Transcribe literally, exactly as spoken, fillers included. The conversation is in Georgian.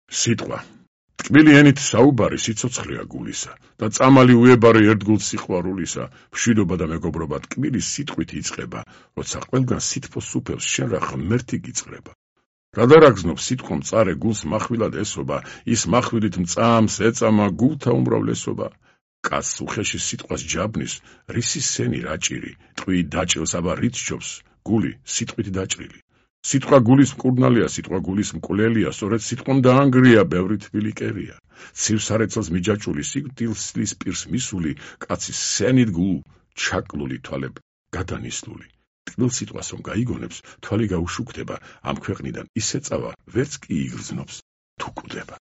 სიტყვა ტკბილი ენით საუბარი სიცოცხლეა გულისა და წამალი უებარი ერთგულ სიყვარულისა მშვიდობა და მეგობრობა ტკბილი სიტყვით იწყება როცა ყველგან სითბოს უფელს შენ რა ღმერთი გიწყრება რადარაგზნობ სიტყვამ წარე გულს מחვილად ესობა ის מחვილით მწამს ეწამა გულთა უმრავლესობა კაცს უხეში სიტყვას ჯაბნის რისი სენი რაჭირი ტყვი დაჭრილს აბა რით სჯობს გული სიტყვით დაჭრილი სიტყვა გულის მკურნალია, სიტყვა გულის მკვლელია, სწორედ სიტყვამ დაანგრია, ბევრი თბილი კერია. ცივ სარეცელს მიჯაჭული, სიკვდილის პირს მისული, კაცის სენით გულ ჩაკლული თვალებ გადანისლული. ტკბილ სიტყვას რომ გაიგონებს, თვალი გაუშუქდება, ამ ქვეყნიდან ისე წავა, ვერც კი იგრძნობს, თუ კვდება.